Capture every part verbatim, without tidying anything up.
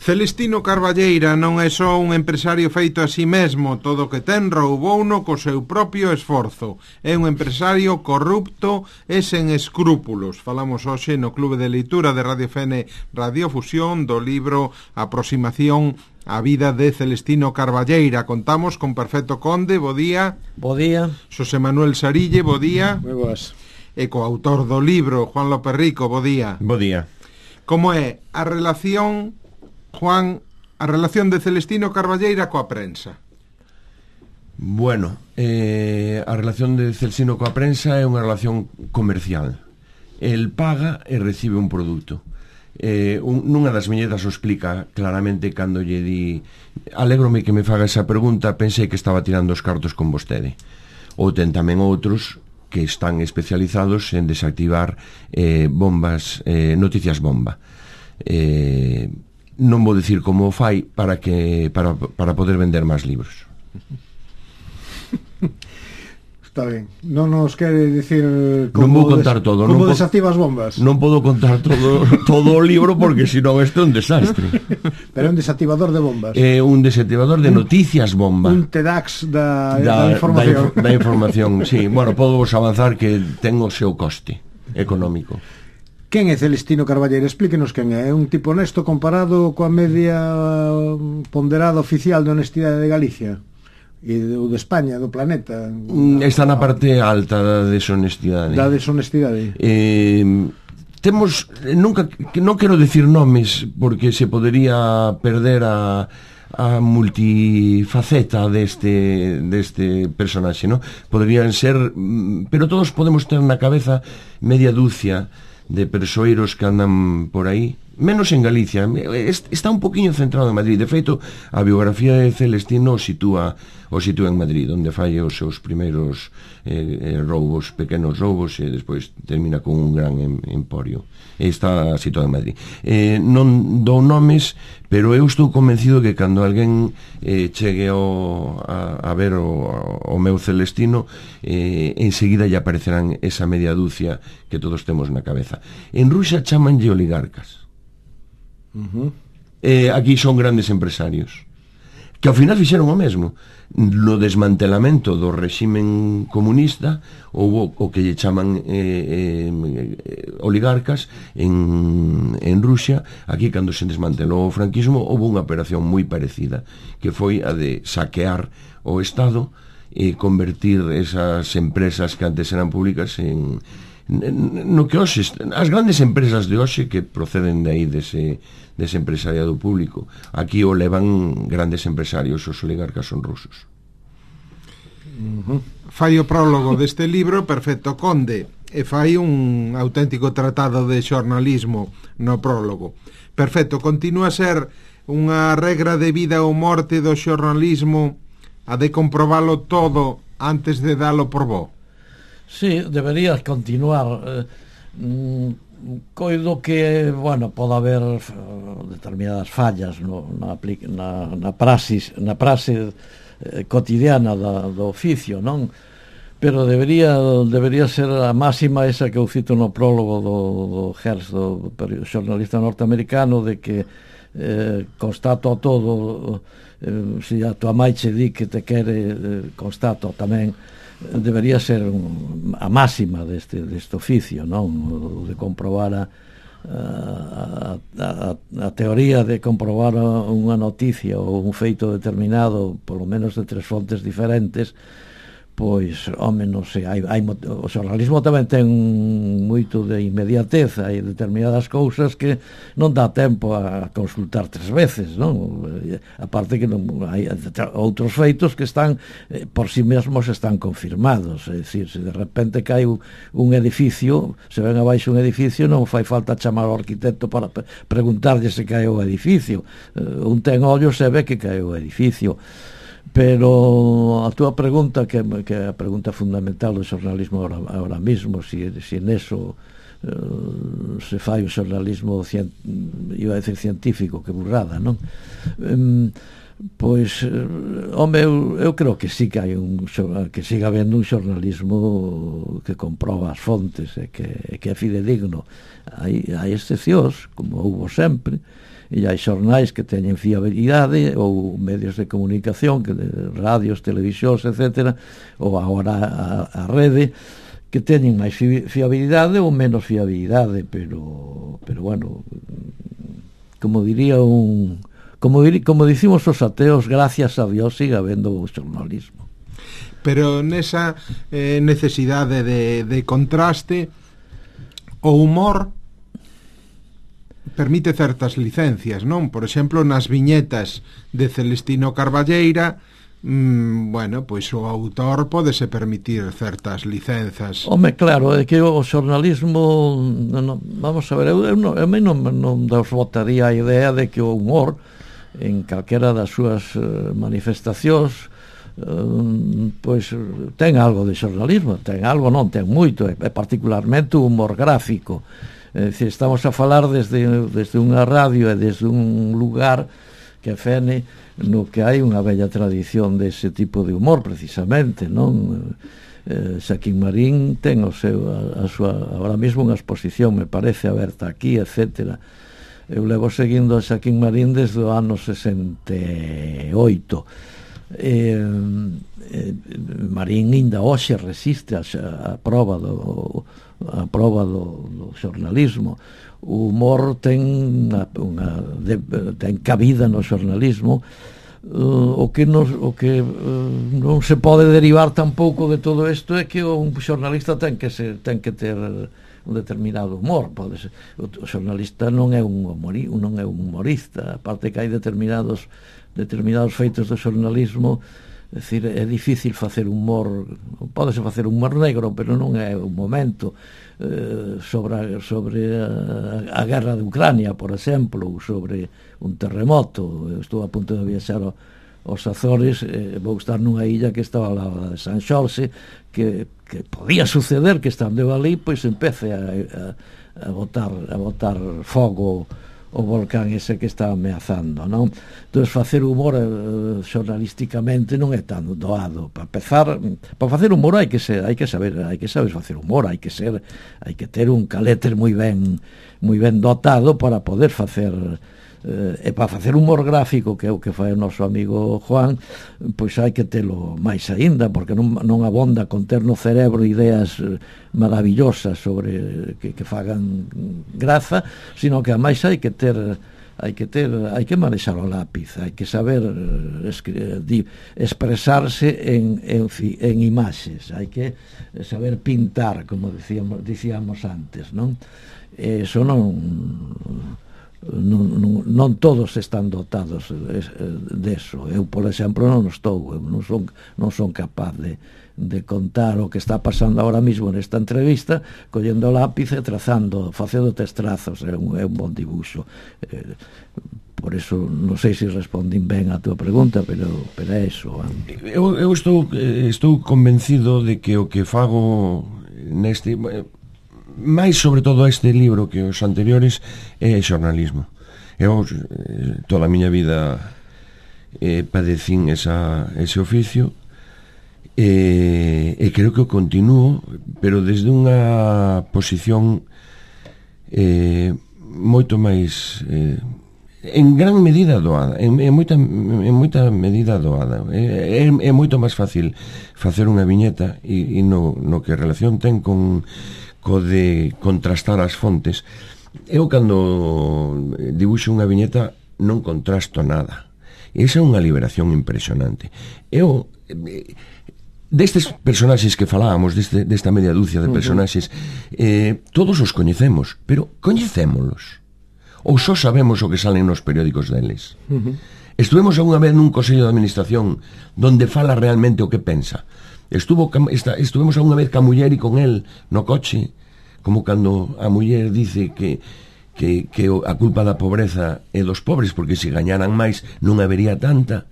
Celestino Carballeira non é só un empresario feito a si mesmo, todo o que ten roubouno co seu propio esforzo. É un empresario corrupto e sen escrúpulos. Falamos hoxe no Clube de Leitura de Radio F N Radiofusión do libro Aproximación á vida de Celestino Carballeira. Contamos con Perfecto Conde, bo día. Bo día. Xosé Manuel Sarille, bo día. Moi boas. E co autor do libro, Juan López Rico, bo día. Bo día. Como é a relación... Juan, a relación de Celestino Carballeira coa prensa? Bueno, eh, a relación de Celestino coa prensa é unha relación comercial. El paga e recibe un produto. Eh, un, nunha das viñetas o explica claramente cando lle di alégrome que me faga esa pregunta, pensei que estaba tirando os cartos con vostede. Ou ten tamén outros que están especializados en desactivar eh, bombas, eh, noticias bomba. Eh... Non vou dicir como o fai para que para, para poder vender máis libros. Está ben. Non nos quere dicir como non vou contar des, todo, como non desactiva as bombas. Non podo contar todo todo o libro porque senón isto é un desastre. Pero é un desactivador de bombas. É un desactivador de noticias bomba. Un T D A X da, da, da información. Da, da información, sí. Bueno, podo vos avanzar que ten o seu coste económico. Quen é Celestino Carballeira? Explíquenos quen é. É un tipo honesto comparado coa media ponderada oficial de honestidade de Galicia e do de España, do planeta. Está na parte alta da deshonestidade. Da deshonestidade. Eh, temos, nunca, non quero decir nomes porque se podería perder a a multifaceta deste deste personaxe, ¿no? Podrían ser, pero todos podemos ter na cabeza media dúcia de persoeiros que andan por aí, menos en Galicia. Está un poquinho centrado en Madrid. De feito, a biografía de Celestino o sitúa, o sitúa en Madrid, onde fai os seus primeiros eh, roubos, pequenos roubos, e despois termina con un gran em, emporio. Está situado en Madrid. Eh, non dou nomes, pero eu estou convencido que cando alguén eh, chegue ao, a, a ver o, o meu Celestino, eh, enseguida lle aparecerán esa media dúcia que todos temos na cabeza. En Rusia chamanlle oligarcas. Uh-huh. Eh, aquí son grandes empresarios que ao final fixeron o mesmo. No desmantelamento do réximen comunista houve o que lle chaman eh, eh, oligarcas en, en Rusia. Aquí, cando se desmantelou o franquismo, houve unha operación moi parecida, que foi a de saquear o Estado e convertir esas empresas que antes eran públicas en no que hoxe, as grandes empresas de hoxe que proceden de aí dese, dese empresariado público. Aquí o levan grandes empresarios, os oligarcas son rusos. Uh-huh. Fai o prólogo deste libro Perfecto Conde e fai un auténtico tratado de xornalismo no prólogo. Perfecto, continúa a ser unha regra de vida ou morte do xornalismo a de comprobalo todo antes de dalo por bo? Sí, debería continuar. Eh, mm, coido que, bueno, pode haber uh, determinadas fallas no, na, na, na praxis, na praxe eh, cotidiana da, do oficio, non? Pero debería debería ser a máxima esa que eu cito no prólogo do, do Hearst, do xornalista norteamericano, de que eh, constato todo, eh, se a tua mãe che di que te quere, eh, constato tamén. Debería ser un, a máxima deste, deste oficio, non? De comprobar a, a, a, a teoría de comprobar unha noticia ou un feito determinado, polo menos de tres fontes diferentes. Pois, home, non sei, hai, hai, o xornalismo tamén ten moito de inmediatez, hai determinadas cousas que non dá tempo a consultar tres veces, non? Aparte que non, hai outros feitos que están, eh, por si mesmos están confirmados, é dicir, se de repente cae un, un edificio, se ven abaixo un edificio, non fai falta chamar ao arquitecto para preguntarlle se cae o edificio, uh, un ten ollos e ve que cae o edificio. Pero a túa pregunta, que, que é a pregunta fundamental do xornalismo ahora, ahora mismo, si, si neso uh, se fai o xornalismo cien, iba a decir científico, que burrada, non? Um, pois, uh, home, eu, eu creo que sí que hai un que siga habendo un xornalismo que comproba as fontes e que, que é fidedigno. Hai, hai excepcións, como houbo sempre, e hai xornais que teñen fiabilidade, ou medios de comunicación, que de radios, televisións, etcétera, ou agora a, a rede, que teñen máis fiabilidade ou menos fiabilidade, pero pero bueno, como diría un como dir, como dicimos os ateos, gracias a Dios sigue habendo o xornalismo. Pero nesa eh, necesidade de, de contraste, o humor permite certas licencias, non? Por exemplo, nas viñetas de Celestino Carballeira, Mm, bueno, pois o autor pódese permitir certas licenzas. Home, claro, é que o xornalismo no, no, vamos a ver, eu, eu, non, eu non, non nos votaría a idea de que o humor en calquera das súas uh, manifestacións uh, pois ten algo de xornalismo, ten algo, non ten moito, é, é particularmente o humor gráfico. É dicir, estamos a falar desde, desde unha radio e desde un lugar que fene no que hai unha bella tradición dese tipo de humor, precisamente, non? Eh, Xaquín Marín ten o seu, a, a súa, ahora mesmo unha exposición, me parece, aberta aquí, etcétera. Eu levo seguindo a Xaquín Marín desde o ano sesenta e oito. Eh, eh, Marín ainda hoxe resiste a, a prova do a prova do, do xornalismo. O humor ten unha, unha de, ten cabida no xornalismo, uh, o que, nos, o que uh, non se pode derivar tampouco de todo isto é que un xornalista ten que ser, ten que ter un determinado humor. Pode ser, o, o xornalista non é un humori, non é un humorista, aparte que hai determinados determinados feitos do xornalismo. É dicir, é difícil facer humor, pódese facer humor negro, pero non é o momento. Eh, sobre, a, sobre a, a guerra de Ucrania, por exemplo, ou sobre un terremoto. Eu estou a punto de viaxar ao, aos Azores, eh, vou estar nunha illa que estaba ao lado de San Xorxe, que, que podía suceder que estando eu ali, pois empece a, a, a botar a botar fogo o volcán ese que está ameazando, non? Entón, facer humor eh, xornalísticamente non é tan doado. Para empezar, para facer humor hai que ser, hai que saber, hai que saber facer humor, hai que ser, hai que ter un carácter moi ben, moi ben dotado para poder facer eh, e para facer humor gráfico, que é o que fai o noso amigo Juan, pois hai que telo máis aínda, porque non, non abonda con ter no cerebro ideas maravillosas sobre que, que fagan graza, sino que ademais hai que ter hai que ter, hai que manexar o lápiz, hai que saber escri, di, expresarse en, en, en imaxes, hai que saber pintar, como dicíamos, dicíamos antes, non? Eso non Non, non, non todos están dotados deso. Eu, por exemplo, non estou, eu non son, non son capaz de, de contar o que está pasando ahora mismo nesta entrevista, collendo o lápiz e trazando, facendo testrazos, é un, é un bon dibuixo. Eh, por eso non sei se respondín ben a túa pregunta, pero, pero é iso. Eu, eu estou, estou convencido de que o que fago neste... máis sobre todo este libro que os anteriores é xornalismo. Eu toda a miña vida eh, padecín esa, ese oficio e, e creo que o continuo, pero desde unha posición eh, moito máis eh, en gran medida doada, en, en, moita, en moita medida doada. É, é, é moito máis fácil facer unha viñeta e, e no, no que relación ten con co de contrastar as fontes. Eu cando dibuixo unha viñeta non contrasto nada. Esa é unha liberación impresionante. Eu destes personaxes que falábamos, deste, desta media dúcia de personaxes, eh, todos os coñecemos, pero coñecémolos ou só sabemos o que salen nos periódicos deles? Uh-huh. Estuvemos alguna vez nun consello de administración donde fala realmente o que pensa. Estuvo esta, estuvemos alguna vez ca muller e con el no coche, como cando a muller dice que, que, que a culpa da pobreza é dos pobres, porque se gañaran máis non habería tanta.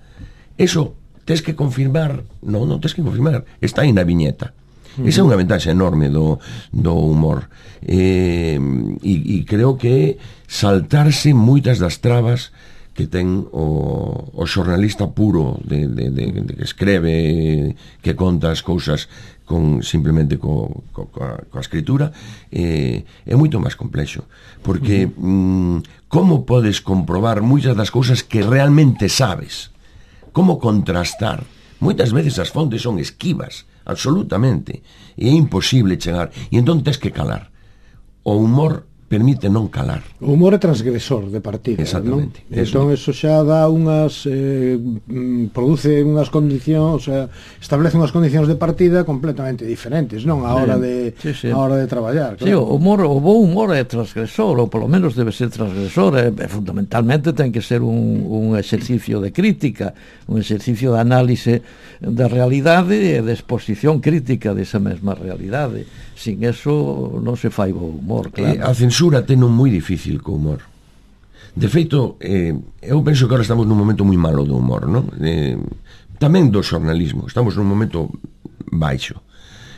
Eso tes que confirmar, non, non tes que confirmar, está aí na viñeta. Esa é unha ventaxa enorme do, do humor. Eh, e, e creo que saltarse moitas das trabas que ten o, o xornalista puro de, de, de, de que escreve, que conta as cousas con simplemente co, co, coa, coa escritura, eh, é moito máis complexo, porque uh-huh. mm, como podes comprobar moitas das cousas que realmente sabes? Como contrastar? Moitas veces as fontes son esquivas, absolutamente, e é imposible chegar, e entón tens que calar. O humor permite non calar. O humor é transgresor de partida, exactamente, non? Entón eso xa dá unhas eh, produce unhas condicións, o sea, establece unhas condicións de partida completamente diferentes, non? A hora de sí, sí. a hora de traballar, claro. Sí, o humor, o bo humor é transgresor, ou polo menos debe ser transgresor, e, e fundamentalmente ten que ser un, un exercicio de crítica, un exercicio de análise da realidade e de exposición crítica desa mesma realidade. Sin eso non se fai bo humor, claro. Eh, a censura ten un moi difícil co humor. De feito, eh, eu penso que ahora estamos nun momento moi malo do humor, non? Eh, tamén do xornalismo, estamos nun momento baixo.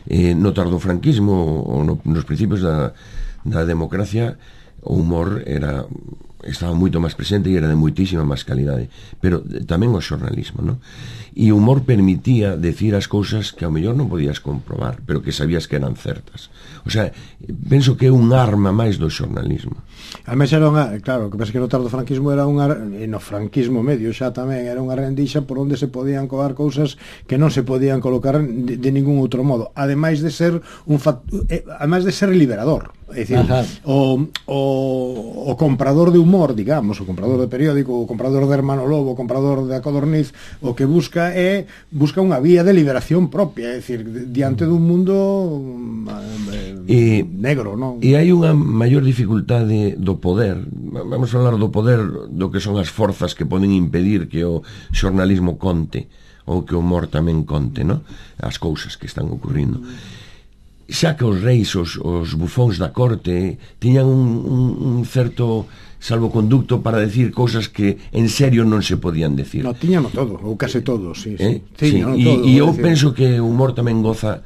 Eh, no tardofranquismo ou no, nos principios da, da democracia, o humor era estaba moito máis presente e era de moitísima máis calidade, pero tamén o xornalismo, non? E o humor permitía decir as cousas que ao mellor non podías comprobar, pero que sabías que eran certas. O sea, penso que é un arma máis do xornalismo. A mesa era unha, claro, que pensa que no tardofranquismo era unha, e no franquismo medio xa tamén era unha rendixa por onde se podían coar cousas que non se podían colocar de, de ningún outro modo, ademais de ser un factor, eh, ademais de ser liberador. É dicir, o, o, o comprador de humor, digamos, o comprador de periódico, o comprador de Hermano Lobo, o comprador de A Codorniz, o que busca é busca unha vía de liberación propia, é dicir, diante dun mundo eh, e, negro, non? E hai unha maior dificultade do poder. Vamos a falar do poder, do que son as forzas que poden impedir que o xornalismo conte, ou que o humor tamén conte, non? As cousas que están ocurrindo. Xa que os reis, os, os bufóns da corte tiñan un, un, un certo salvoconducto para decir cousas que en serio non se podían decir. No, tiñano todo, ou case todo, sí, eh? sí. sí. E, todo, e eu decir... penso que o humor tamén goza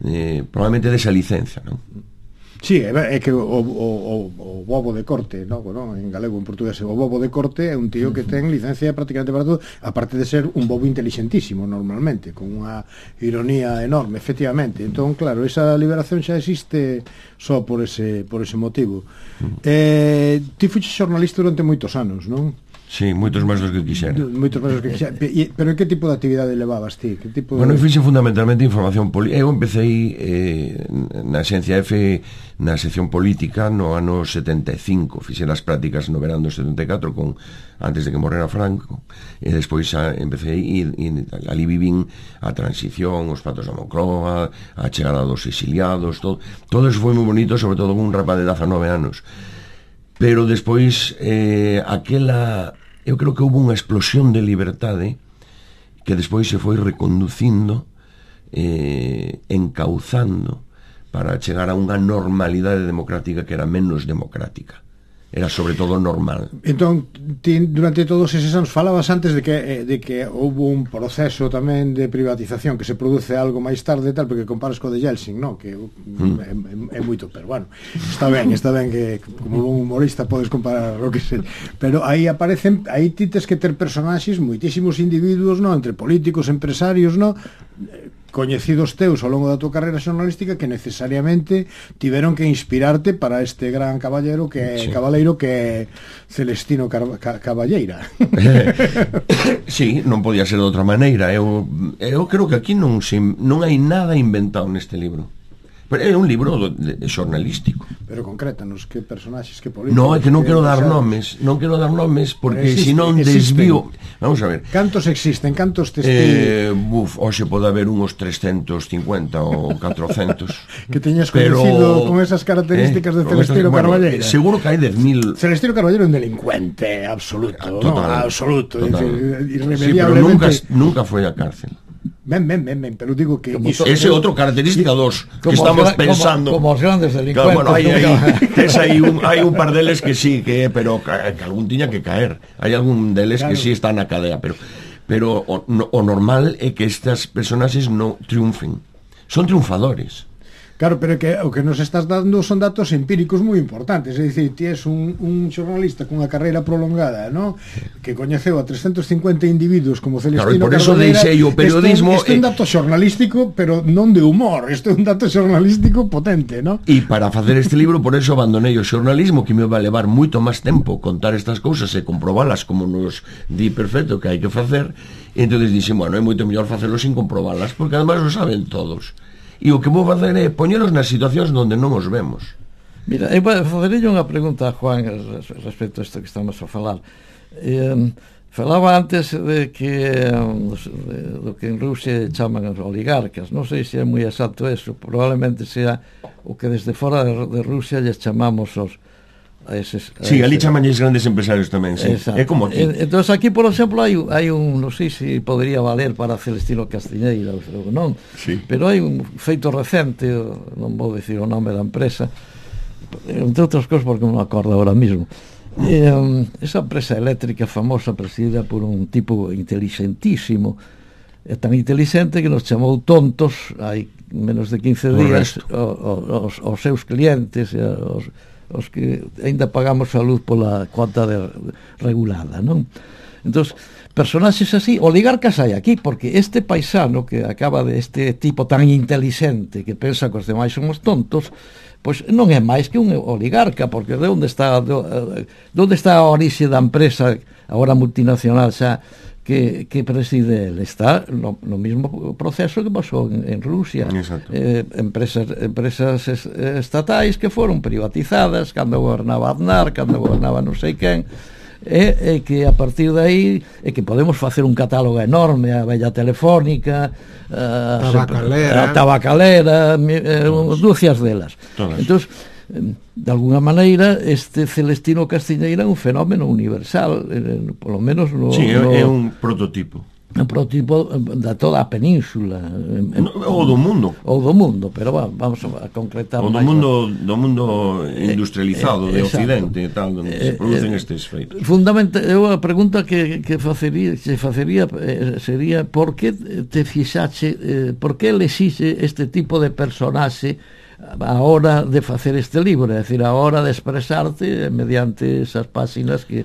eh, probablemente desa licenza, non? Sí, é, é que o, o, o, o bobo de corte, no? Bueno, en galego, en portugués, o bobo de corte é un tío que ten licencia prácticamente para todo, aparte de ser un bobo inteligentísimo normalmente, con unha ironía enorme, efectivamente. Entón, claro, esa liberación xa existe só por ese por ese motivo. Eh, ti fuches xornalista durante moitos anos, non? Sí, moitos máis dos que quixera. Moitos máis dos que quixera. Pero que tipo de actividade levabas ti? Que tipo de... Bueno, eu fixe fundamentalmente información política. Eu empecé eh, na Xencia F na sección política no ano setenta e cinco. Fixe as prácticas no verán do setenta e catro con, antes de que morrera Franco, e despois xa empecé e, e ali vivín a transición, os patos da Moncloa, a chegada dos exiliados, todo, todo eso foi moi bonito, sobre todo con un rapaz de dezanove anos. Pero despois eh, aquela, eu creo que houve unha explosión de liberdade que despois se foi reconducindo, eh, encauzando para chegar a unha normalidade democrática que era menos democrática, era sobre todo normal. Entón, ti, durante todos eses anos falabas antes de que de que houve un proceso tamén de privatización que se produce algo máis tarde tal, porque comparas co de Yeltsin, no? Que mm. é, é moito, pero bueno, está ben, está ben que como un humorista podes comparar o que se, pero aí aparecen, aí ti tes que ter personaxes, moitísimos individuos, no? Entre políticos, empresarios, no? Coñecidos teus ao longo da tua carreira xornalística que necesariamente tiveron que inspirarte para este gran caballero que é, sí. cabaleiro que é Celestino Car Ca Caballeira. Sí, non podía ser de outra maneira. Eu, eu creo que aquí non, se, non hai nada inventado neste libro. Pero é un libro de, de xornalístico. Pero concrétanos, que personaxes, que políticos... No, é que non quero dar nomes, non quero dar nomes porque se non desvío... Vamos a ver. Cantos existen, cantos testigos? Eh, buf, hoxe pode haber uns trescentos cincuenta ou catrocentos. Que teñas conhecido con esas características eh, de Celestino bueno, Carballeira. Seguro que hai dez mil... Celestino Carballeira é un delincuente absoluto, total, no? Absoluto, total. Decir, sí, pero nunca, nunca foi a cárcel. Ben, ben, ben, ben, pero digo que iso, ese é outro característica dos que estamos pensando. Como, como os grandes delincuentes. Claro, bueno, hai, hai, hai, un, hai un par deles que sí, que pero que algún tiña que caer. Hai algún deles claro. Que sí está na cadea, pero pero o, no, o normal é que estas personaxes non triunfen. Son triunfadores. Claro, pero que o que nos estás dando son datos empíricos moi importantes, é dicir, ti és un, un xornalista cunha carreira prolongada, ¿no? Que coñeceu a trescentos cincuenta individuos como Celestino Carbonera. Claro, por eso Carbonera. deixei o periodismo... Isto é un dato xornalístico, pero non de humor, isto é un dato xornalístico potente, ¿no? E para facer este libro, por eso abandonei o xornalismo, que me vai levar moito máis tempo contar estas cousas e comprobalas como nos di perfecto que hai que facer. E entón dixen, bueno, é moito mellor facelo sin comprobalas, porque además o saben todos. E o que vou facer é poñeros nas situacións onde non os vemos. Mira, eu facerei unha pregunta a Juan respecto a isto que estamos a falar. Eh, falaba antes de que de, do que en Rusia chaman os oligarcas. Non sei se é moi exacto eso, probablemente sea o que desde fora de, de Rusia lles chamamos os a eses, a sí, ali eses... chamanlles grandes empresarios tamén, sí. É como aquí. Entón aquí, por exemplo, hai, hai un, non sei se podría valer para Celestino Castiñeira ou non, sí. Pero hai un feito recente, non vou dicir o nome da empresa, entre outras cosas porque non me acordo ahora mismo. Eh, esa empresa eléctrica famosa, presidida por un tipo inteligentísimo, é tan inteligente que nos chamou tontos hai menos de quince días os, os seus clientes e os os que ainda pagamos a luz pola cuota de, regulada, non? Entón, personaxes así, oligarcas hai aquí, porque este paisano que acaba de este tipo tan inteligente que pensa que os demais somos tontos, pois non é máis que un oligarca, porque de onde está de, de onde está a orixe da empresa agora multinacional xa que, que preside ele? Está no, no mismo proceso que pasou en, en Rusia. Eh, empresas, empresas estatais que foron privatizadas cando gobernaba Aznar, cando gobernaba non sei quen, e, e que a partir de aí é que podemos facer un catálogo enorme, a Bella Telefónica, a Tabacalera, a Tabacalera, eh, dúcias delas. Entón, de alguna maneira este Celestino Castiñeira é un fenómeno universal, eh, polo menos no, sí, no, é un prototipo un prototipo da toda a península, no, ou do mundo ou do mundo, pero va, vamos a concretar ou do máis, mundo, do mundo industrializado, eh, eh, de Occidente e tal, onde eh, se producen eh, estes feitos. Fundamentalmente, eu a pregunta que, que facería, se facería eh, sería por que te fixache, eh, por que exixe este tipo de personaxe a hora de facer este libro, é dicir, a hora de expresarte mediante esas páxinas que,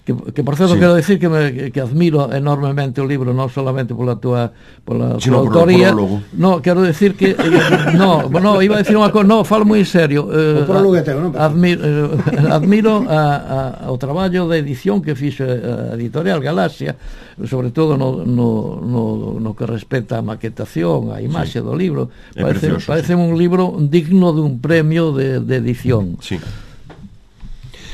que, que por certo, sí. Quero decir que, me, que admiro enormemente o libro, non solamente pola tua pola tua autoría, no, quero decir que eh, no, no, iba a decir unha cosa, no, falo moi en serio, eh, o prólogo é teu, non? Admiro, eh, admiro a, a, o traballo de edición que fixo a editorial Galaxia, sobre todo no, no, no, no que respecta a maquetación, a imaxe, sí, do libro. Parece, precioso, parece sí. Un libro digno dun premio de, de edición. Sí.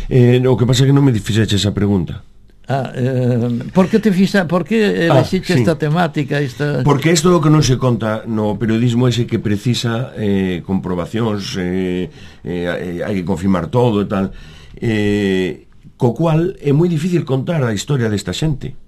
Eh, o que pasa é que non me fixeche esa pregunta. Ah, eh, por que te fixa, por que elegiste ah, sí. esta temática, esta... Porque isto é o que non se conta no periodismo, ese que precisa eh, comprobacións, eh, eh, hai que confirmar todo e tal, eh, co cual é moi difícil contar a historia desta xente,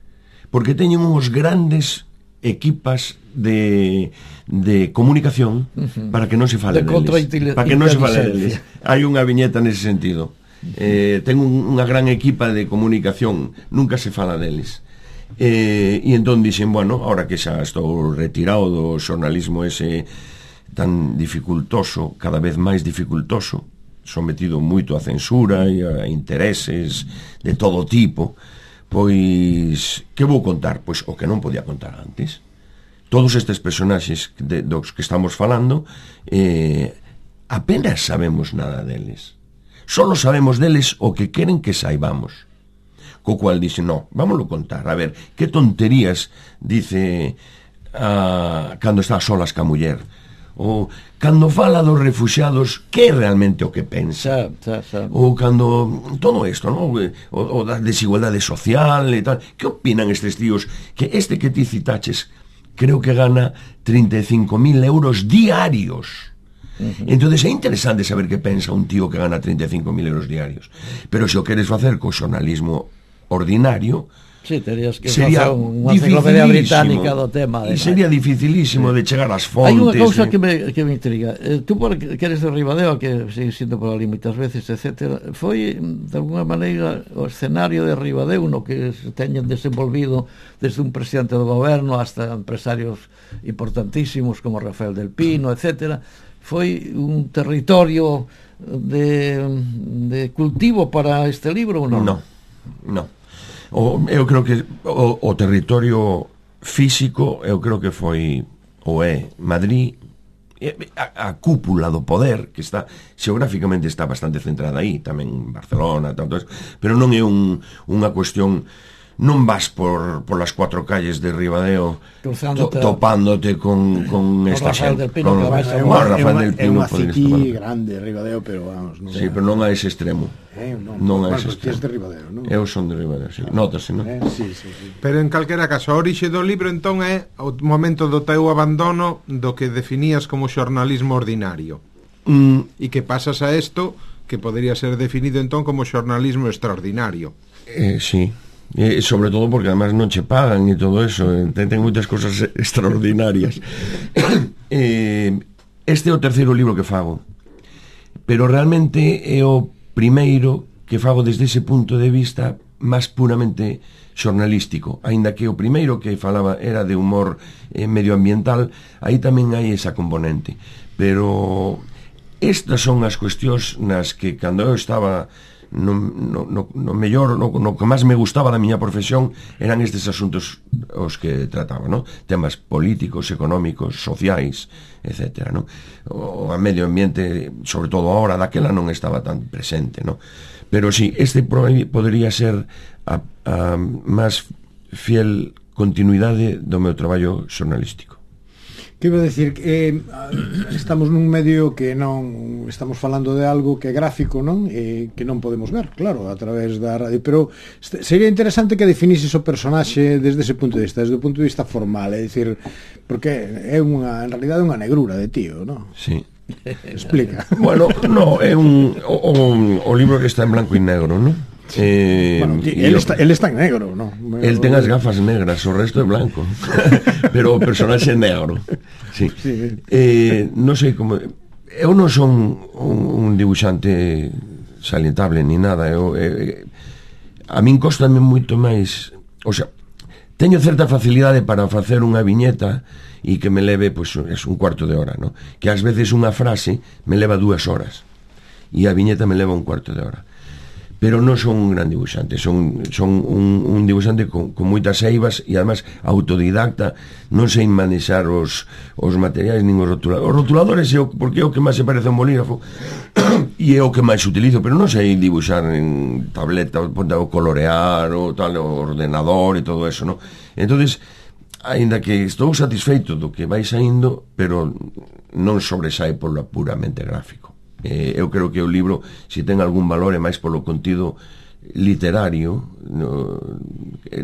porque teñen uns grandes equipas de, de comunicación uh-huh. para que non se fale de deles, para que non se fale deles. Hai unha viñeta nese sentido. Eh, ten un, unha gran equipa de comunicación, nunca se fala deles. Eh, e entón dixen, bueno, ahora que xa estou retirado do xornalismo ese tan dificultoso, cada vez máis dificultoso, sometido moito a censura e a intereses de todo tipo, pois que vou contar? Pois o que non podía contar antes. Todos estes personaxes de, dos que estamos falando, eh, apenas sabemos nada deles. Solo sabemos deles o que queren que saibamos. Co cual dice, no, vámoslo contar. A ver, que tonterías dice a, cando está a solas ca muller. Ou cando fala dos refuxiados, que é realmente o que pensa. Xa, xa, xa. Ou cando todo isto, ¿no? O, o da desigualdade social e tal. Que opinan estes tíos? Que este que ti citaches creo que gana trinta e cinco mil euros diarios. Uh-huh. Entonces é interesante saber que pensa un tío que gana trinta e cinco mil euros diarios. Pero se o queres facer co xornalismo ordinario, sí, terías que facer unha enciclopedia británica do tema. E sería dificilísimo sí. de chegar ás fontes. Hai unha cousa eh. que, me, que me intriga. Eh, tú porque que eres de Ribadeo, que sigue siendo por ali moitas veces, etcétera, foi de alguna maneira o escenario de Ribadeo no que se teñen desenvolvido desde un presidente do goberno hasta empresarios importantísimos como Rafael del Pino, etcétera. foi un territorio de, de cultivo para este libro ou non? Non, non. O, eu creo que o, o territorio físico, eu creo que foi ou é Madrid, a, a cúpula do poder, que está xeográficamente está bastante centrada aí, tamén Barcelona, tanto eso, pero non é un, unha cuestión. Non vas por, por las cuatro calles de Ribadeo to, topándote con, con esta xente. É unha city grande, Ribadeo, pero vamos, non. Sí, pero non a ese extremo. Eh, non, non a bueno, ese extremo. De Ribadeo, non? Eu son de Ribadeo, sí. Nótase, non? Eh, sí, sí, sí. Pero en calquera caso, a orixe do libro entón é o momento do teu abandono do que definías como xornalismo ordinario. Mm. E que pasas a isto que podría ser definido entón como xornalismo extraordinario. Eh, sí. E sobre todo porque además non che pagan e todo eso, ten, ten moitas cosas extraordinarias. eh, este é o terceiro libro que fago, pero realmente é o primeiro que fago desde ese punto de vista máis puramente xornalístico, aínda que o primeiro que falaba era de humor eh, medioambiental, aí tamén hai esa componente, pero estas son as cuestións nas que cando eu estaba no, no, no, no mellor, no, no que máis me gustaba da miña profesión eran estes asuntos os que trataba, no? Temas políticos, económicos, sociais, etcétera, no? O a medio ambiente, sobre todo ahora, daquela non estaba tan presente, no? Pero sí, este podería ser a, a máis fiel continuidade do meu traballo xornalístico. Que iba a decir que eh, estamos nun medio que non estamos falando de algo que é gráfico, non? E que non podemos ver, claro, a través da radio, pero sería interesante que definises o personaxe desde ese punto de vista, desde o punto de vista formal, é dicir, porque é unha, en realidade unha negrura de tío, non? Sí. Explica. Bueno, no, é un o, o, o libro que está en blanco e negro, non? Eh, bueno, él, yo, está, él está en negro, ¿no? Él ten as gafas negras, o resto é blanco. Pero o personaxe é negro. Sí. Sí. Eh, non sei como. Eu non son un, un dibuixante salientable ni nada. Eu, eh, a min costame moito máis. O sea, teño certa facilidade para facer unha viñeta e que me leve, pois, pues, un cuarto de hora, ¿no? Que ás veces unha frase me leva dúas horas e a viñeta me leva un cuarto de hora. Pero non son un gran dibuixante, son, son un, un dibuixante con, con moitas eivas e además autodidacta, non sei manexar os, os materiais nin os rotuladores. Os rotuladores é o, porque é o que máis se parece a un bolígrafo e é o que máis utilizo, pero non sei dibuixar en tableta, o colorear, o tal, o ordenador e todo eso, non? Entonces, aínda que estou satisfeito do que vai saindo, pero non sobresae polo puramente gráfico. Eh, eu creo que o libro, se ten algún valor, é máis polo contido literario, no,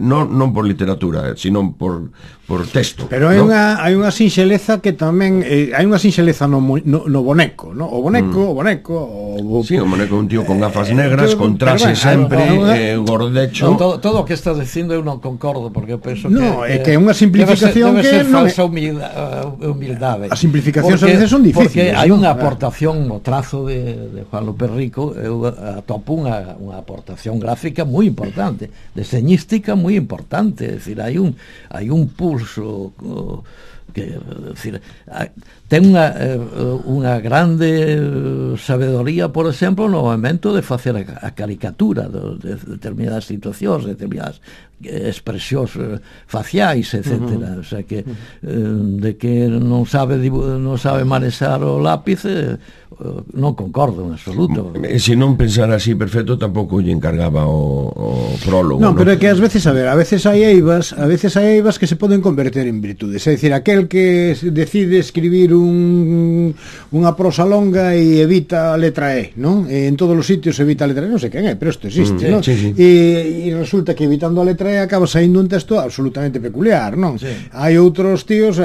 non, non por literatura, sino por, por texto. Pero hai, ¿no? unha, hai unha sinxeleza que tamén eh, hai unha sinxeleza no, no, no boneco, no? O boneco, mm. o boneco o, sí, o boneco un tío con gafas negras, eh, con traxe sempre, eh, gordecho. No, todo, todo o que estás dicindo eu non concordo, porque eu penso no, que, é que é unha simplificación debe ser, debe ser que falsa humildade, humildade. As simplificacións a veces son difíciles. Porque hai unha aportación no trazo de, de Juan López Rico, eu atopo unha, unha aportación gráfica moi importante, deseñística moi importante, é dicir, hai un hai un pulso uh, que, é dicir, ten unha uh, unha grande sabedoría, por exemplo, no momento de facer a, a caricatura de, de determinadas situacións, determinadas expresións uh, faciais, etcétera. Uh -huh. O sea que uh, de que non sabe non sabe manexar o lápiz, uh, non concordo en absoluto. E se non pensara así perfecto, tampouco lle encargaba o, o prólogo. Non, ¿no? pero é que ás veces, a ver, a veces hai eivas, a veces hai eivas que se poden converter en virtudes. É dicir, aquel que decide escribir un unha prosa longa e evita a letra E, non? E en todos os sitios evita a letra E, non sei quen é, pero isto existe, mm, non? Sí, sí. E, e resulta que evitando a letra E acaba saindo un texto absolutamente peculiar, non? Sí. Hai outros tíos,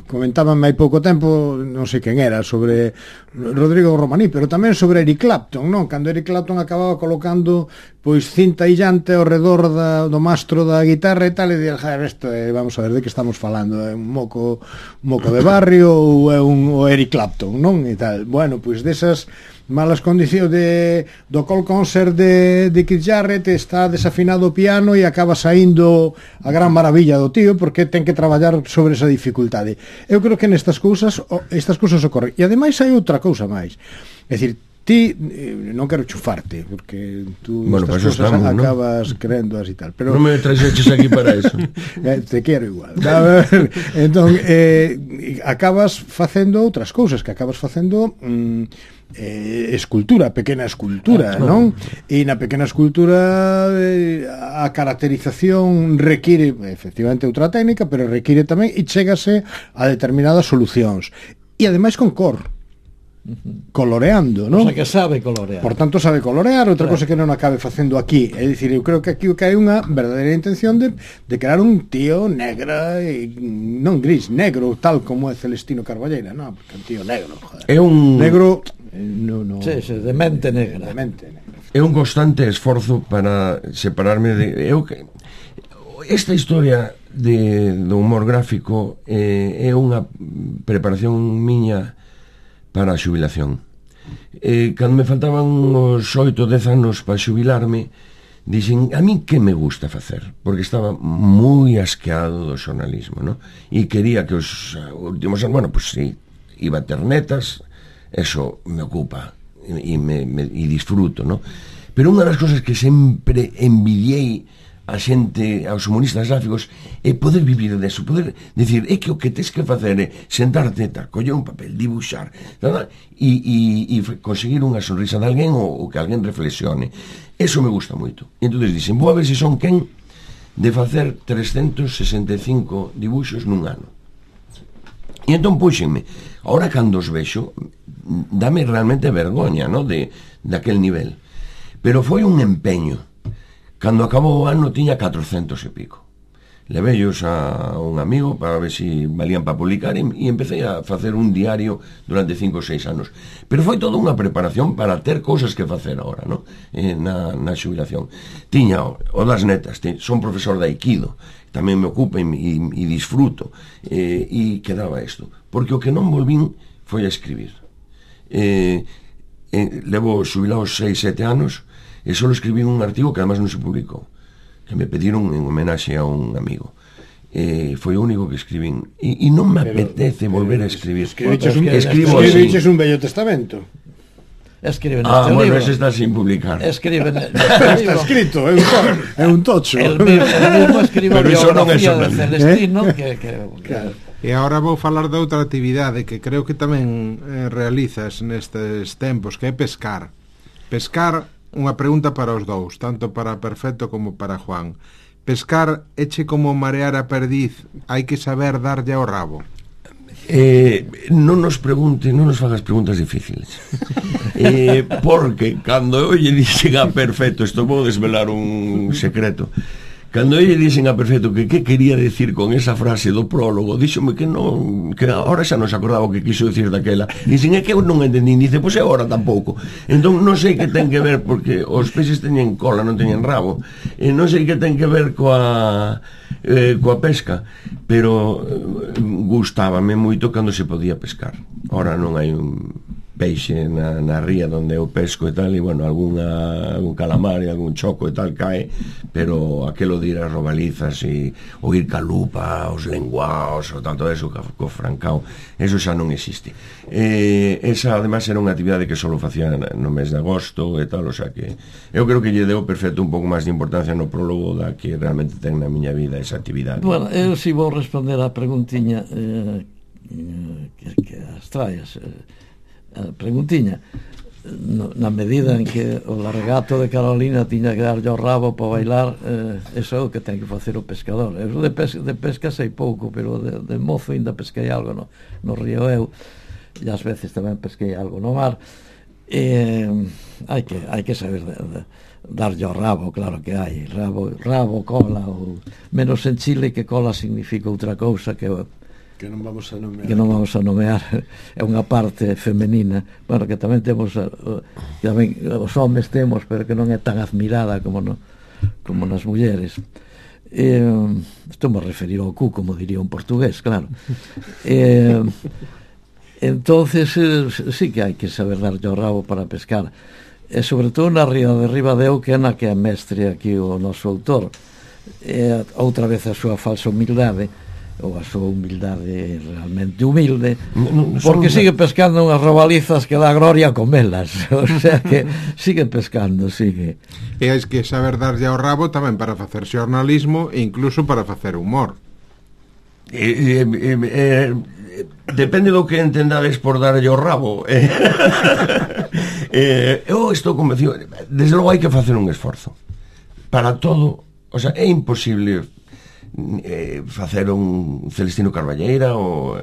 comentaban hai pouco tempo, non sei quen era, sobre Rodrigo Romaní, pero tamén sobre Eric Clapton, non? Cando Eric Clapton acababa colocando pois cinta illante ao redor da, do mastro da guitarra e tal, e dixer, joder, isto é, vamos a ver de que estamos falando, é un moco un moco de barrio ou é un o Eric Clapton, non? E tal. Bueno, pois desas malas condicións de, do call concert de, de Keith Jarrett, está desafinado o piano e acaba saindo a gran maravilla do tío porque ten que traballar sobre esa dificultade. Eu creo que nestas cousas estas cousas ocorren. E ademais hai outra cousa máis, é dicir, ti, eh, non quero chufarte porque tú bueno, estas pues cousas estamos, acabas ¿no? Querendoas e tal, pero non me traxeches aquí para eso. eh, te quero igual. Entón, eh, acabas facendo outras cousas, que acabas facendo mm, eh, escultura, pequena escultura, ah, non? E na pequena escultura eh, a caracterización require efectivamente outra técnica, pero require tamén e chégase a determinadas solucións. E ademais con cor, coloreando, non? O sea, que sabe colorear. Por tanto, sabe colorear, outra claro. cosa que non acabe facendo aquí. É dicir, eu creo que aquí que hai unha verdadeira intención de, de crear un tío negra, e, non gris, negro, tal como é Celestino Carballeira, non? Porque un tío negro, joder. É un... Negro... Eh, no, no, sí, sí, de mente negra. De mente negra. É un constante esforzo para separarme de... Eu que... Esta historia de, do humor gráfico eh, é unha preparación miña para a xubilación. Eh, cando me faltaban uns oito ou dez anos para xubilarme, dixen, a mí que me gusta facer? Porque estaba moi asqueado do xornalismo, ¿no? E quería que os últimos anos, bueno, pues sí, iba a ter netas, eso me ocupa e, me, me, e disfruto, ¿no? Pero unha das cosas que sempre envidiei a xente, aos humoristas gráficos, é poder vivir deso, poder decir, é que o que tes que facer é sentarte, tal, coller un papel, dibuixar, tal, e, e, e conseguir unha sonrisa de alguén ou, ou que alguén reflexione. Eso me gusta moito. E entón dixen, vou a ver se son quen de facer trescentos sesenta e cinco dibuixos nun ano. E entón puxenme. Ahora cando os vexo, dame realmente vergoña, ¿no? De, de aquel nivel. Pero foi un empeño. Cando acabou o ano tiña catrocentos e pico. Leveillos a un amigo para ver se si valían para publicar e, e empecé a facer un diario durante cinco ou seis anos. Pero foi toda unha preparación para ter cousas que facer agora, ¿no? Eh, na, na xubilación. Tiña o, o das netas, te, son profesor de Aikido, tamén me ocupa e, e, e disfruto, eh, e quedaba isto. Porque o que non volvín foi a escribir. Eh, eh, levo xubilados seis, sete anos, e só escribí un artigo que además non se publicou, que me pediron en homenaxe a un amigo. Eh, foi o único que escribín e, e non me pero, apetece volver a escribir. Escribiches un, escribo escribiches un bello testamento. Escribe ah, neste bueno, libro. ese está sin publicar. Escribe neste está escrito, é un, é un tocho. El mismo, el mismo escribe a biografía de Celestino, ¿Eh? que, que, claro. E agora vou falar de outra actividade que creo que tamén eh, realizas nestes tempos, que é pescar. Pescar, unha pregunta para os dous, tanto para Perfecto como para Juan. Pescar eche como marear a perdiz, hai que saber darlle ao rabo. Eh, non nos pregunte, non nos fagas preguntas difíciles. eh, porque cando eu lle dixen a Perfecto, isto vou desvelar un secreto. Cando lle dixen a Perfecto que que quería decir con esa frase do prólogo, díxome que non, que ahora xa non se acordaba o que quiso decir daquela. Dixen, é que eu non entendín, dice, pois agora tampouco. Entón non sei que ten que ver, porque os peixes teñen cola, non teñen rabo. E non sei que ten que ver coa eh, coa pesca, pero eh, gustábame moito cando se podía pescar. Ahora non hai un peixe na, na ría onde eu pesco e tal, e bueno, alguna, algún calamar e algún choco e tal cae, pero aquelo de ir a robalizas e ou ir ca lupa, os lenguaos ou tanto eso, co, co francao, eso xa non existe. Eh, esa además era unha actividade que só facía no mes de agosto e tal, o sea que eu creo que lle deu Perfecto un pouco máis de importancia no prólogo da que realmente ten na miña vida esa actividade. Bueno, eu si vou responder a preguntiña eh, que, que as traes, eh, a preguntiña, no, na medida en que o largato de Carolina tiña que darlle o rabo para bailar, eh, eso é o que ten que facer o pescador. Eu de pesca, de pesca sei pouco, pero de, de mozo ainda pesquei algo no, no río Eu, e ás veces tamén pesquei algo no mar. Eh, hai que hai que saber de, de, darlle o rabo, claro que hai rabo, rabo, cola, ou menos en Chile, que cola significa outra cousa que que non vamos a nomear, que non vamos a nomear, é unha parte femenina, bueno, que tamén temos, que tamén os homes temos, pero que non é tan admirada como no, como nas mulleres. Eh, estou me referir ao cu, como diría un portugués, claro. Eh, entonces eh, sí que hai que saber darlle o rabo para pescar, e sobre todo na ría de Ribadeo, que é na que é mestre aquí o noso autor, e outra vez a súa falsa humildade, ou a súa humildade realmente humilde, no, no, porque sigue pescando unhas robalizas que dá gloria a comelas, o sea que sigue pescando, sigue. E hai que saber darlle ao rabo tamén para facer xornalismo e incluso para facer humor. Eh, eh, eh, eh, depende do que entendades por darlle ao rabo. eh, eh, eu estou convencido, desde logo hai que facer un esforzo para todo, o sea, é imposible eh, facer un Celestino Carballeira ou,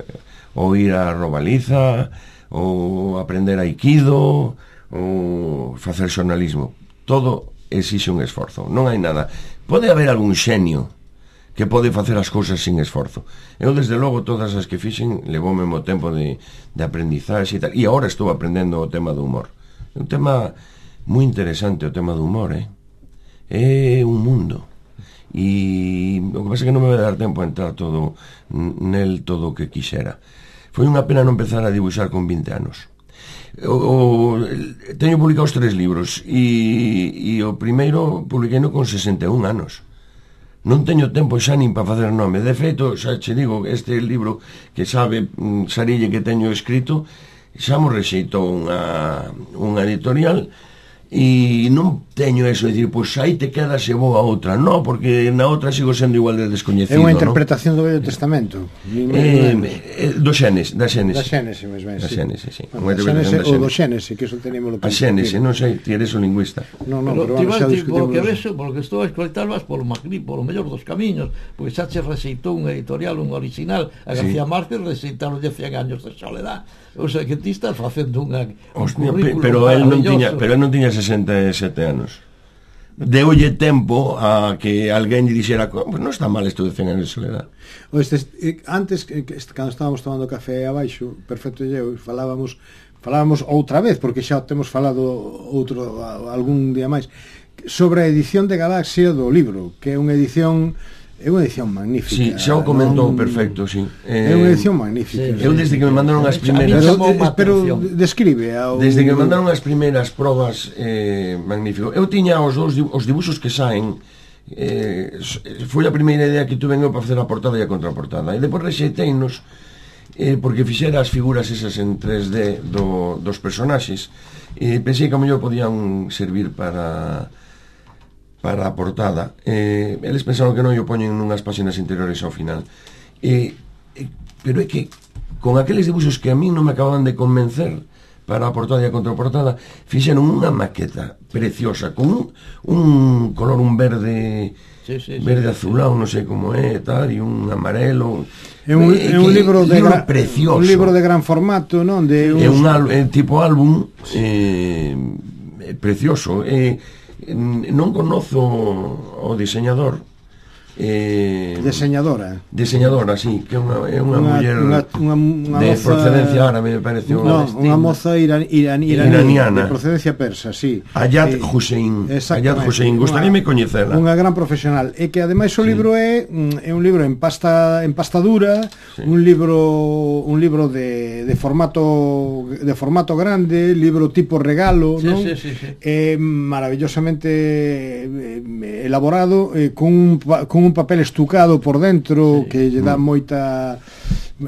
ou ir a Robaliza ou aprender aikido ou facer xornalismo. Todo exixe un esforzo, non hai nada. Pode haber algún xenio que pode facer as cousas sin esforzo. Eu, desde logo, todas as que fixen levoume mo tempo de, de aprendizaxe e tal, e agora estou aprendendo o tema do humor. É un tema moi interesante, o tema do humor, eh? É un mundo. E o que pasa é que non me vai dar tempo a entrar todo nel todo o que quixera. Foi unha pena non empezar a dibuixar con vinte anos. O, o, teño publicados tres libros e, e o primeiro publiqueino con sesenta e un anos. Non teño tempo xa nin para facer nome. De feito, xa che digo, este libro que sabe Sarille que teño escrito xa mo rexeitou unha, unha editorial. E non teño eso de dicir, pois aí te quedas e vou a outra. Non, porque na outra sigo sendo igual de descoñecido. É unha interpretación, ¿no?, do Vello Testamento. Eh, eh, do Xénesis, da Xénesis. Da Xénesis, mesmo, da Xénesis, sí. Bueno, da Xénesis ou do Xénesis, que eso teníamos lo que... A Xénesis, non sei, ti eres o lingüista. Non, non, pero, pero vamos a discutir. Polo que vexo, polo que estou a escoitar, vas polo magrí, polo mellor dos camiños, porque xa che rexeitou un editorial, un original, a García sí. Márquez rexeitaron de cien años de soledad. O sea, que ti estás facendo unha un currículo pero el non tiña, pero el non tiña sesenta e sete anos. Deulle tempo a que alguén lle dixera, pues non está mal isto de cen anos de soledad. O este, antes, cando estábamos tomando café abaixo, Perfecto e eu, falábamos falábamos outra vez, porque xa temos falado outro algún día máis, sobre a edición de Galaxia do libro, que é unha edición é unha edición magnífica. Sí, xa o comentou, non... perfecto, sí. Eh, é unha edición magnífica. Sí, eu desde que me mandaron as primeiras... Pero, pero describe ao... Desde que me mandaron as primeiras probas, eh, magnífico. Eu tiña os dous os dibuxos que saen, eh, foi a primeira idea que tuve eu para facer a portada e a contraportada. E depois rexeiteinos, eh, porque fixera as figuras esas en tres D do, dos personaxes, e pensei que a mellor podían servir para... para a portada. Eh, eles pensaron que non o poñen nunhas páxinas interiores ao final. Eh, eh, pero é que con aqueles dibuxos que a mí non me acababan de convencer para a portada e a contraportada, fixeron unha maqueta preciosa con un, un color, un verde sí, sí, verde sí, azulado, sí. Non sei como é, tal, e un amarelo. É un, é un libro de libro gran, precioso. Un libro de gran formato, non? De uns... É un al, é tipo álbum eh, precioso. É eh, non conozo o diseñador eh, diseñadora diseñadora, sí, que é unha, é unha, unha muller unha, unha, unha de moza, procedencia árabe, me pareció no, unha moza iran, iran, iran, iraniana de procedencia persa, sí. Ayat eh, Hussein Ayat Hussein, gustaríame coñecela. Unha gran profesional, e que ademais o sí. libro é é un libro en pasta en pasta dura, sí. un libro un libro de, de formato de formato grande, libro tipo regalo, sí, non? Sí, sí, sí. É maravillosamente elaborado, eh, con un, con un papel estucado por dentro, sí. que lle dá moita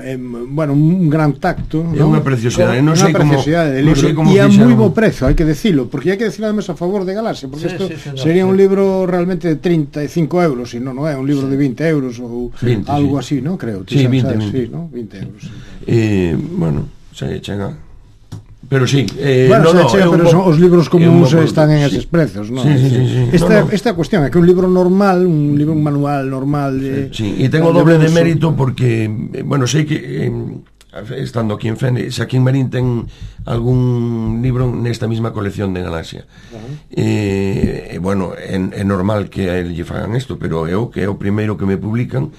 eh, bueno, un gran tacto, é unha preciosidade, non sei como, non sei como e a moi bo prezo, hai que decilo, porque hai que decilo además a favor de Galaxia, porque isto sí, sí, sí, sería sí. un libro realmente de treinta e cinco euros, e non, non é un libro sí. de vinte euros ou veinte, algo sí. así, non? Creo, sí, veinte, sabes, veinte. Sí, ¿no? veinte euros. Sí. Eh, bueno, se chega. Pero sí, eh, bueno, no, no, chega, pero son, os libros comuns están en eses sí. prezos, non? Sí, sí, sí, sí. Esta, no, no. esta cuestión é que un libro normal, un libro un manual normal de, sí, sí. E tengo doble de mérito porque, bueno, sei que eh, estando aquí en Fene, se aquí en Marín ten algún libro nesta mesma colección de Galaxia. Uh-huh. Eh, bueno, é, é normal que a el lle fagan isto, pero eu que é o primeiro que me publican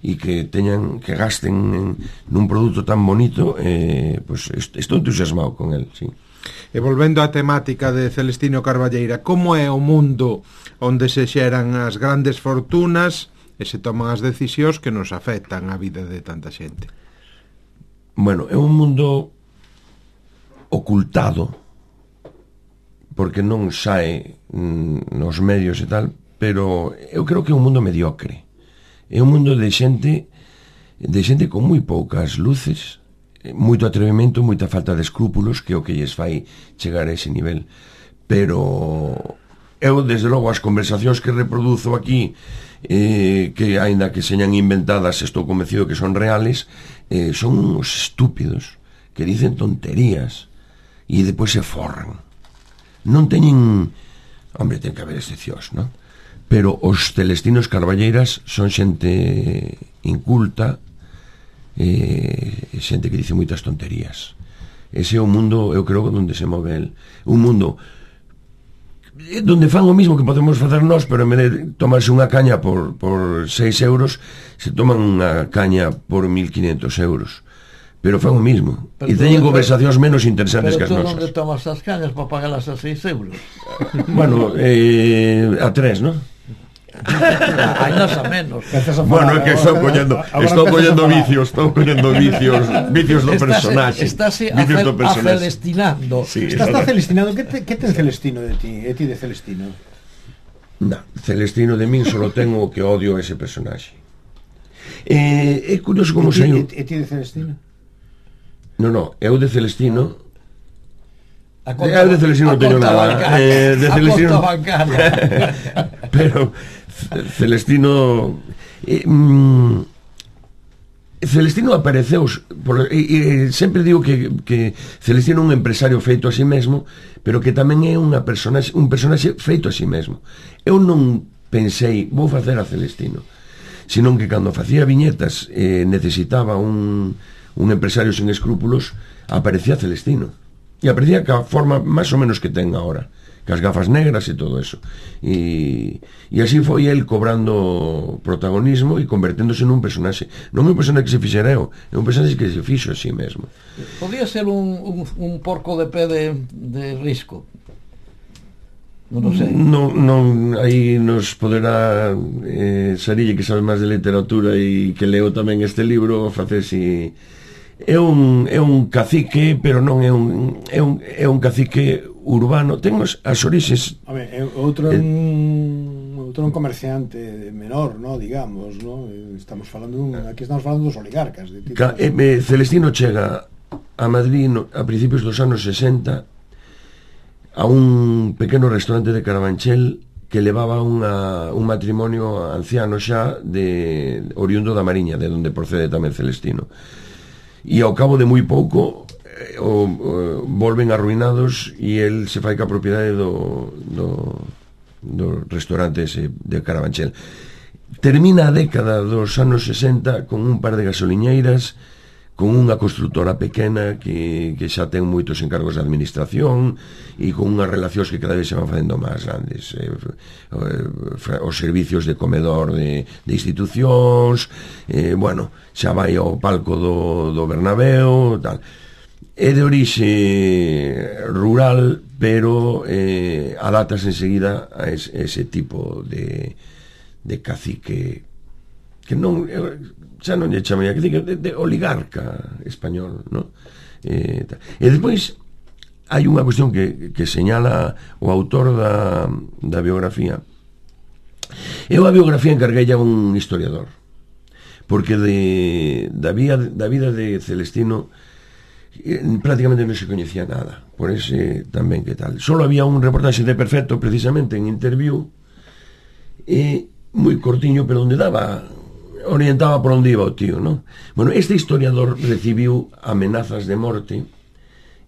e que teñan, que gasten en, nun produto tan bonito, eh, pues estou entusiasmado con el, sí. E volvendo á temática de Celestino Carballeira, como é o mundo onde se xeran as grandes fortunas e se toman as decisións que nos afectan a vida de tanta xente? Bueno, é un mundo ocultado, porque non sae mm, nos medios e tal, pero eu creo que é un mundo mediocre, é un mundo de xente de xente con moi poucas luces, moito atrevimento, moita falta de escrúpulos, que é o que lles fai chegar a ese nivel. Pero eu, desde logo, as conversacións que reproduzo aquí, eh, que aínda que señan inventadas, estou convencido que son reales, eh, son uns estúpidos que dicen tonterías e depois se forran. Non teñen... Hombre, ten que haber excepcións, non? Pero os Celestinos Carballeiras son xente inculta, eh, xente que dice moitas tonterías. Ese é o mundo, eu creo, onde se move el. Un mundo donde fan o mismo que podemos facer nós, pero en vez de tomarse unha caña por, por seis euros, se toman unha caña por mil quinientos euros. Pero fan o mismo. Pero e teñen conversacións menos interesantes que as nosas. Pero tú onde tomas as cañas para pagarlas a seis euros? Bueno, eh, a tres, non? Hai nos a menos. Bueno, é que estou collendo, estou collendo vicios, estou collendo vicios, vicios do personaxe. Estás a celestinando. Sí, estás a celestinando. Que te, que ten Celestino de ti? E ti de Celestino? No, Celestino de min solo tengo o que odio a ese personaxe. Eh, é curioso como saiu. E ti de Celestino? No, no, eu de Celestino conta, eu de Celestino non teño nada eh, de Celestino pero Celestino eh, mm, Celestino apareceu por, e, e, sempre digo que, que Celestino é un empresario feito a si mesmo, pero que tamén é unha personaxe, un personaxe feito a si mesmo. Eu non pensei vou facer a Celestino, senón que cando facía viñetas eh, necesitaba un un empresario sin escrúpulos, aparecía Celestino. E aparecía ca forma máis ou menos que ten agora, cas gafas negras e todo eso. E, e así foi el cobrando protagonismo e converténdose nun personaxe. Non é un personaxe que se fixera eu, é un personaxe que se fixo a sí mesmo. Podía ser un, un, un porco de pé de, de risco. Non o sei. Non, non, aí nos poderá eh, Sarille, que sabe máis de literatura e que leo tamén este libro, facer si... É un, é un cacique, pero non é un é un, é un cacique urbano. Ten as orixes. A ver, é outro é un outro un comerciante menor, no, digamos, no? Estamos falando un, aquí estamos falando dos oligarcas de tipo, Ca, eh, Celestino chega a Madrid no, a principios dos anos sesenta a un pequeno restaurante de Carabanchel que levaba unha, un matrimonio anciano xa de oriundo da Mariña, de onde procede tamén Celestino. E ao cabo de moi pouco eh, o, o, volven arruinados e el se fai ca propiedade do, do, do restaurante ese de Carabanchel. Termina a década dos anos sesenta con un par de gasoliñeiras, con unha constructora pequena que, que xa ten moitos encargos de administración e con unhas relacións que cada vez se van facendo máis grandes, eh, eh, os servicios de comedor de, de institucións, eh, bueno, xa vai ao palco do, do Bernabéu, tal. É de orixe rural, pero eh, adatas enseguida a ese, ese tipo de, de cacique que non, xa non lle chamei, que de, de oligarca español, no? Eh, e despois hai unha cuestión que, que señala o autor da, da biografía. Eu a biografía encarguei a un historiador, porque de, da, vía, da vida de Celestino eh, prácticamente non se coñecía nada, por ese tamén que tal. Solo había un reportaxe de Perfecto, precisamente en Interview, e moi cortiño, pero onde daba orientaba por onde iba o tío, non? Bueno, este historiador recibiu amenazas de morte,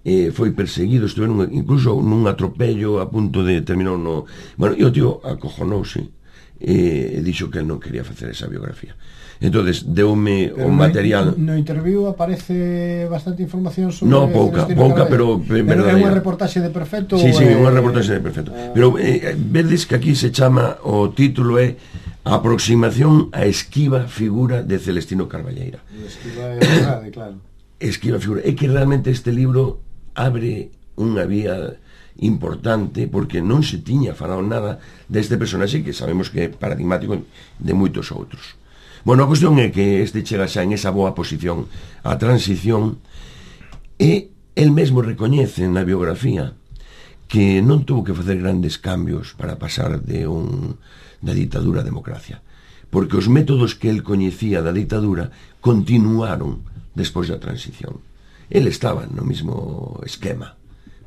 eh, foi perseguido, estuve nun, incluso nun atropello a punto de terminar no... Bueno, e o tío acojonouse e dixo que non quería facer esa biografía. Entonces, deume o material... No, no interview aparece bastante información sobre... No, pouca, pouca, pero... Pero é unha reportaxe de Perfecto? Sí, sí, é... unha reportaxe de Perfecto. Ah. Pero eh, vedes que aquí se chama, o título é Aproximación a esquiva figura de Celestino Carballeira. Esquiva é verdade, claro. Esquiva figura. É que realmente este libro abre unha vía importante, porque non se tiña falado nada deste personaxe que sabemos que é paradigmático de moitos outros. Bueno, a cuestión é que este chega xa en esa boa posición a transición e el mesmo recoñece na biografía que non tuvo que facer grandes cambios para pasar de un da ditadura a democracia, porque os métodos que el coñecía da ditadura continuaron despois da transición. El estaba no mesmo esquema,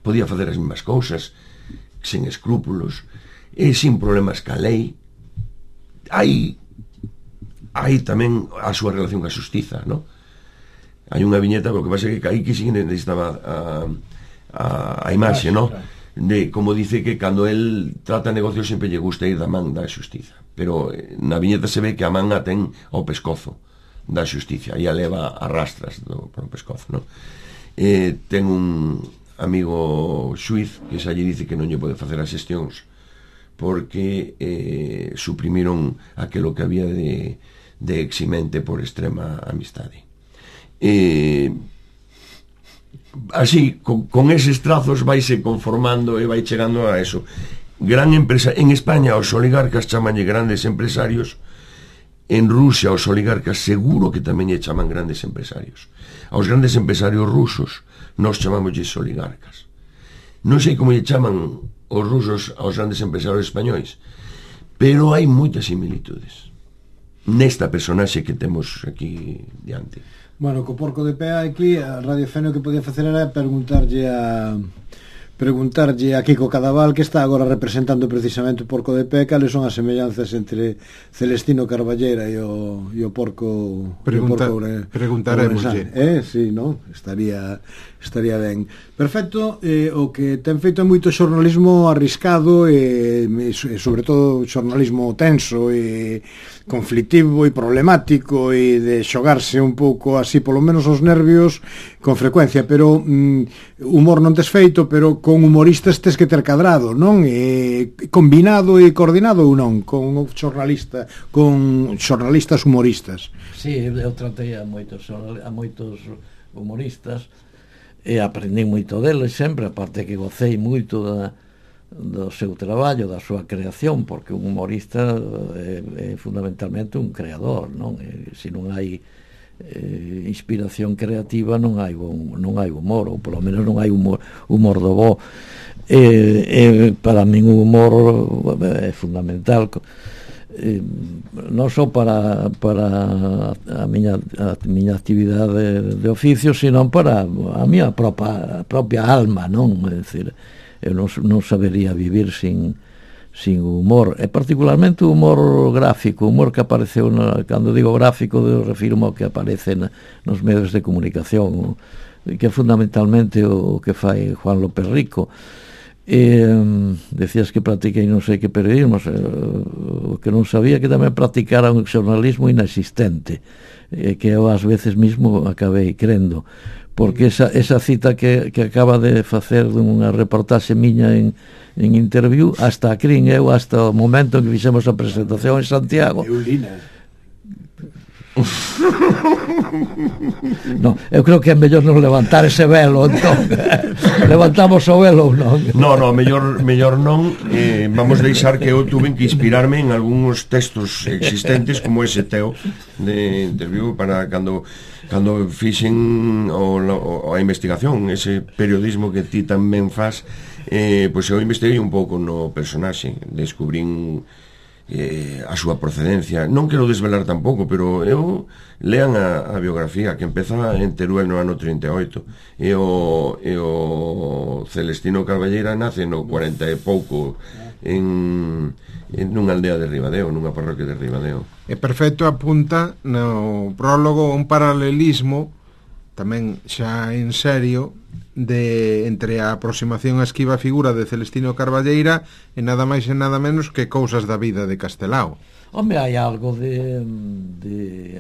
podía facer as mesmas cousas sen escrúpulos e sin problemas ca lei. Hai hai tamén a súa relación ca xustiza, non? Hai unha viñeta, pero o que pasa é que aí que sí necesitaba a, a, a imaxe, non? De, como dice que cando el trata negocios sempre lle gusta ir da man da xustiza, pero na viñeta se ve que a man a ten ao pescozo da xusticia e a leva a rastras do, por o pescozo, non? Eh, ten un amigo xuiz que xa lle dice que non lle pode facer as xestións porque eh, suprimiron aquilo que había de, de eximente por extrema amistade. Eh, así, con, con eses trazos vaise conformando e vai chegando a eso. Gran empresa en España, os oligarcas chamanlle grandes empresarios. En Rusia os oligarcas seguro que tamén lle chaman grandes empresarios. Aos grandes empresarios rusos nos chamámoslle oligarcas. Non sei como lle chaman os rusos aos grandes empresarios españois, pero hai moitas similitudes nesta personaxe que temos aquí diante. Bueno, co porco de pé aquí, a Radio Feno que podía facer era preguntarlle a preguntarlle a Kiko Cadaval, que está agora representando precisamente o porco de pé, cales son as semellanzas entre Celestino Carballera e o, e o porco Pregunta, o porco preguntaremoslle. Eh, sí, non? Estaría estaría ben. Perfecto, eh, o que ten feito é moito xornalismo arriscado e, e sobre todo xornalismo tenso e conflictivo e problemático e de xogarse un pouco así polo menos os nervios con frecuencia, pero mm, humor non tes feito, pero con humoristas tes que ter cadrado, non? E combinado e coordinado ou non con un xornalista, con xornalistas humoristas. Sí, eu tratei a moitos a moitos humoristas e aprendi moito deles sempre, aparte que gocei moito da do seu traballo, da súa creación, porque un humorista é, é fundamentalmente un creador, non? E, se non hai eh, inspiración creativa non hai bon, non hai humor, ou polo menos non hai humor, humor do bo. E, e para min o humor é fundamental, eh, non só para para a miña a miña actividade de oficio, sino para a miña propia, a propia alma, non? É dicir, eu non, non sabería vivir sin, sin humor, e particularmente o humor gráfico, o humor que apareceu na, cando digo gráfico, eu refirmo ao que aparece na, nos medios de comunicación, o, que é fundamentalmente o, o que fai Juan López Rico. E, decías que practiquei non sei que periodismo, o que non sabía que tamén practicara un xornalismo inexistente, e que eu ás veces mismo acabei crendo, porque esa, esa cita que, que acaba de facer dunha reportaxe miña en, en interview, hasta a crin eu, hasta o momento en que fixemos a presentación en Santiago. No, eu creo que é mellor non levantar ese velo, entón. Levantamos o velo ou non? No, no, mellor, mellor non. eh, Vamos deixar que eu tuve que inspirarme en algúns textos existentes, como ese teo de interview, para cando cando fixen o, o, a investigación, ese periodismo que ti tamén faz, eh, pois eu investiguei un pouco no personaxe, descubrín eh, a súa procedencia. Non quero desvelar tampouco, pero eu lean a, a biografía, que empeza en Teruel no ano trinta e oito, e o, e o Celestino Carballera nace no cuarenta e pouco en, en nunha aldea de Ribadeo, nunha parroquia de Ribadeo. E perfecto apunta no prólogo un paralelismo tamén xa en serio de entre a aproximación a esquiva figura de Celestino Carballeira e nada máis e nada menos que cousas da vida de Castelao. Home, hai algo de, de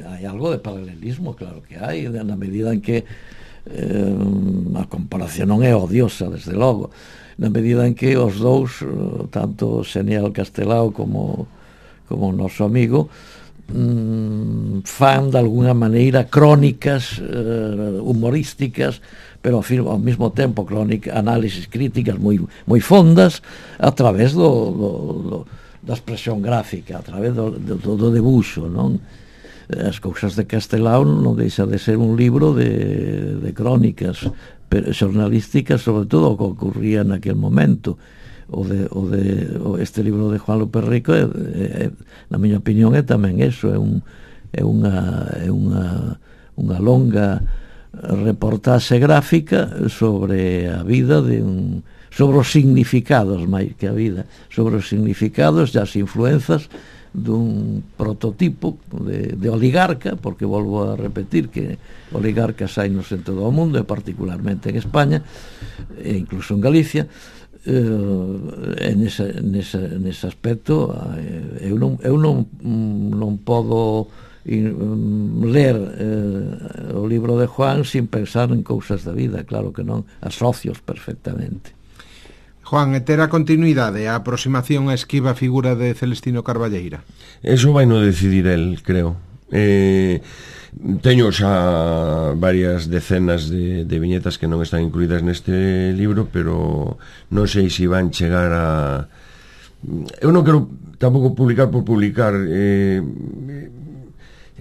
hai algo de paralelismo, claro que hai, na medida en que eh, a comparación non é odiosa, desde logo, na medida en que os dous, tanto Xenial Castelao como como o noso amigo, mm, fan de alguna maneira crónicas eh, humorísticas, pero ao mesmo tempo crónica, análisis críticas moi, moi fondas a través do, do, do, da expresión gráfica, a través do, do, do debuxo, non? As cousas de Castelao non deixa de ser un libro de, de crónicas pero xornalística sobre todo o que ocurría naquel momento. O de, o de o este libro de Juan López Rico é, é, na miña opinión é tamén eso, é un é unha é unha unha longa reportaxe gráfica sobre a vida de un sobre os significados máis que a vida, sobre os significados e as influenzas dun prototipo de, de oligarca, porque volvo a repetir que oligarcas hai en todo o mundo e particularmente en España e incluso en Galicia. Uh, en ese, nese, nese aspecto uh, eu non, eu non, non podo in, um, ler uh, o libro de Juan sin pensar en cousas da vida, claro que non, asocios perfectamente. Juan, e ter a continuidade, a aproximación a esquiva figura de Celestino Carballeira? Eso vai no decidir el, creo. Eh, teño xa varias decenas de, de viñetas que non están incluídas neste libro, pero non sei se van chegar a... Eu non quero tampouco publicar por publicar. Eh,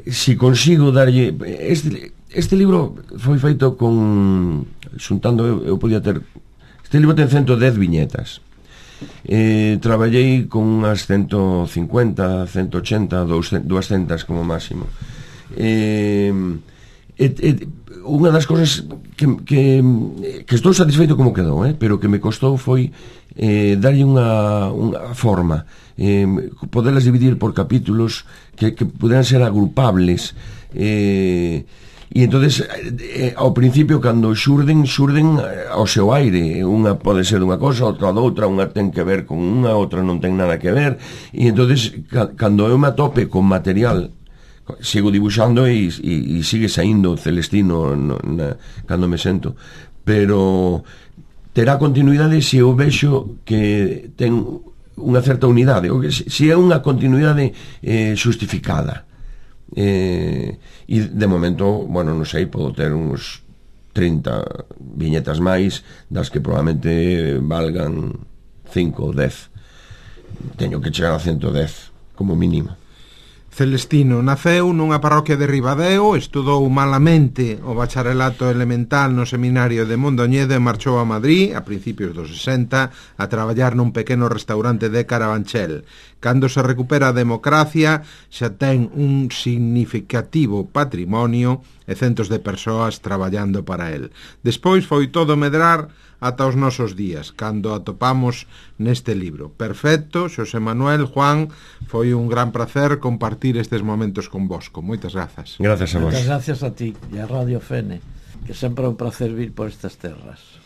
si consigo darlle... Este, este libro foi feito con... Xuntando, eu, eu podía ter... Este libro ten ciento dez viñetas. Eh, traballei con unhas ciento cincuenta, ciento ochenta, doscientas como máximo. Eh, et, et, unha das cosas que, que, que estou satisfeito como quedou, eh, pero que me costou foi eh, darlle unha, unha forma, eh, poderlas dividir por capítulos que, que puderan ser agrupables, eh, e entonces eh, ao principio cando xurden xurden ao seu aire, unha pode ser dunha cosa, outra doutra, unha ten que ver con unha, outra non ten nada que ver, e entonces ca, cando eu me atope con material sigo dibuixando e, e, e sigue saindo Celestino no, na, cando me sento, pero terá continuidade se eu vexo que ten unha certa unidade, ou que se é unha continuidade eh, justificada. Eh, e de momento, bueno, non sei, podo ter uns trinta viñetas máis, das que probablemente valgan cinco ou dez. Teño que chegar a ciento dez como mínimo. Celestino naceu nunha parroquia de Ribadeo, estudou malamente o bacharelato elemental no seminario de Mondoñedo e marchou a Madrid a principios dos sesenta a traballar nun pequeno restaurante de Carabanchel. Cando se recupera a democracia xa ten un significativo patrimonio e centos de persoas traballando para el. Despois foi todo medrar ata os nosos días, cando atopamos neste libro. Perfecto, Xosé Manuel, Juan, foi un gran placer compartir estes momentos con vosco. Moitas grazas. Gracias a vos. Moitas gracias a ti e a Radio Fene, que sempre é un placer vir por estas terras.